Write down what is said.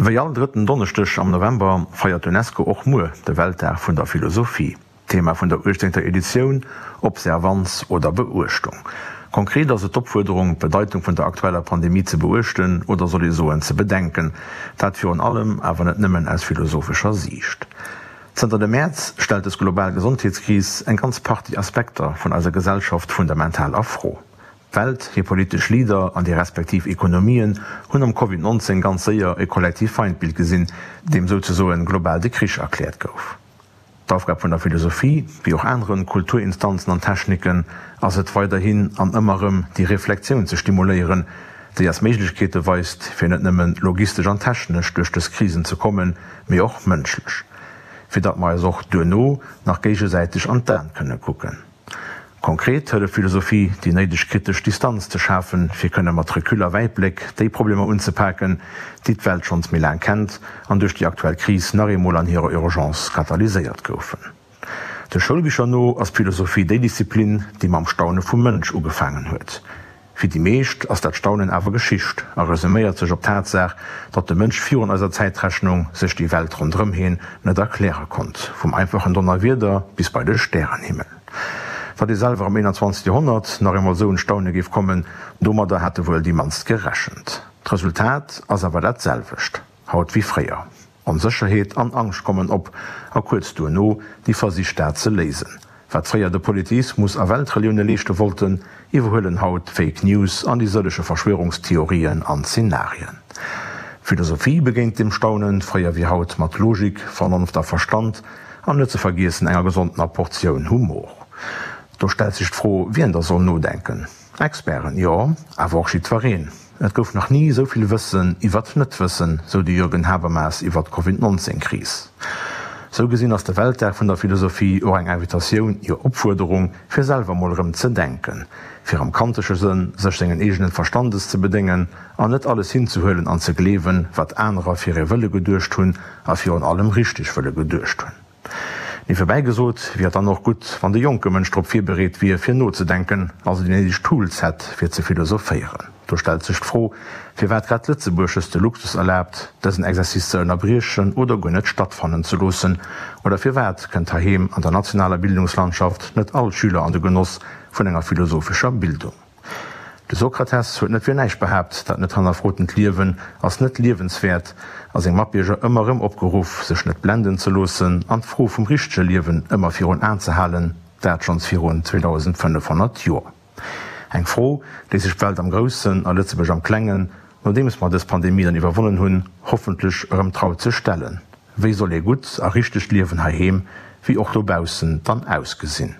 Wéi all drëtten Donneschdeg am November feiert d'UNESCO och muer de Weltdag vun der Philosophie. Thema vun der uechtzéngter Editioun, Observanz oder Beuechtung. Konkret ass et d'Opfuerderung, d'Bedeitung vun der aktueller Pandemie ze beuechten, oder soll ee soen ze bedenken. Dat virun allem, awer net nëmmen aus philosophescher Siicht. Zënter dem Mäerz stellt des global Gesondheetskris eng ganz Partie Aspekter vun eiser Gesellschaft fundamental a Fro. D'Welt, hir politesch Leader an déi respektiv Ekonomien hunn am Covid 19 ganz séier e kollektiv Feindbild gesinn, deem souzesoen global de Krich erkläert gouf. D'Aufgab vun der Philosophie, wéi och aneren Kulturinstanzen an Techniken, ass et weiderhin an ëmmer erëm déi Reflektioun ze stimuléieren, déi eis Méiglechkeete weist, fir net nëmmen logistesch an technesch duerch dës Krisen ze kommen, mee och mënschlech, fir datt mer eis och duerno nach géigesäiteg an d'Aen kënne kucken. Konkret hëlleft Philosophie, déi néideg kritesch Distanz ze schafen, fir kënne mat Recul a Wäitbléck déi Problemer unzepaken, déi d'Welt schonns méi laang kennt an duerch déi aktuell Kris nach eemol an hirer Urgence katalyséiert goufen. De Schoulbicher no ass d'Philosophie déi Disziplin, déi mam Staune vum Mënsch ugefaangen huet. Fir déi meescht ass dat Staunen awer Geschicht a resuméiert sech op d'Tatsaach, datt de Mënsch virun eiser Zäitrechnung sech déi Welt ronderëm heen net erkläre konnt, vum einfachen Donnerwieder bis bei de Stärenhimmel. Datt ee selwer am 21. Joerhonnert nach eemol esou un d'Staune géif kommen, domadder hate wuel déi mannst gerechent. D'Resultat ass awer dat selwecht haut wéi fréier, Onsécherheet an Angscht kommen op a kuerz duerno déi Versich dat ze léisen. Wat fréier de Polytheismus a Weltrelioune leeschte wollten, iwwerhuelen haut Fake News an déi sëllege Verschwörungstheorien an Zenarien. D'Philosophie begéint dem Staunen, fréier wéi haut, mat Logik, Vernonft a Verstand, an net ze vergiessen enger gesondener Portioun Humor. Do stellt sech d'Fro, wien da soll nodenken. Experten, jo, awer och jiddwereen. Et gouf nach ni esou vill Wëssen iwwert Net-Wëssen, sou de Jürgen Habermas iwwert d'Covid 19 Kris. Sou gesinn ass de Weltdag vun der Philosophie och eng Invitatioun, jo Opfuerderung, fir selwer mol erëm ze denken, fir am kantesche Sënn sech sengen eegenen Verstandes ze bedéngen an net alles hinzehuelen an ze gleewen, wat anerer fir ee wëlle geduecht hunn a virun allem richteg wëlle geduecht hunn. Niewebäi gesot wier et dann och gutt, wann de jonke Mënsch drop virbereet wier, fir nozedenken, also déi néideg Tools hätt, fir ze philosophéieren. Do stellt sech d'Fro, firwat grad Lëtzebuerg sech de Luxus erlaabt, dësen Exercice ze ënnerbriechen oder guer net stattfannen ze loossen. Oder firwat kënnt heiheem an der nationaler Bildungslandschaft net all Schüler an de Genoss vun enger philosophescher Bildung? De Sokrates huet net fir näischt behaapt, dat net hannerfrotent Liewen ass net liewenswäert a seng Matbierger ëmmer erëm opgeruff, sech net blenden ze loossen an d'Fro vum richtege Liewen ëmmer virun Aen ze halen, dat schonns virun 2500 Joer. Eng Fro, déi sech d'Welt am Groussen a Lëtzebuerg am Klengen, nodeems mer dës Pandemie dann iwwerwonnen hunn, hoffentlech erëm traut ze stellen, Wéi soll ee gutt a richtegt Liewen heiheem wéi och dobaussen dann ausgesinn?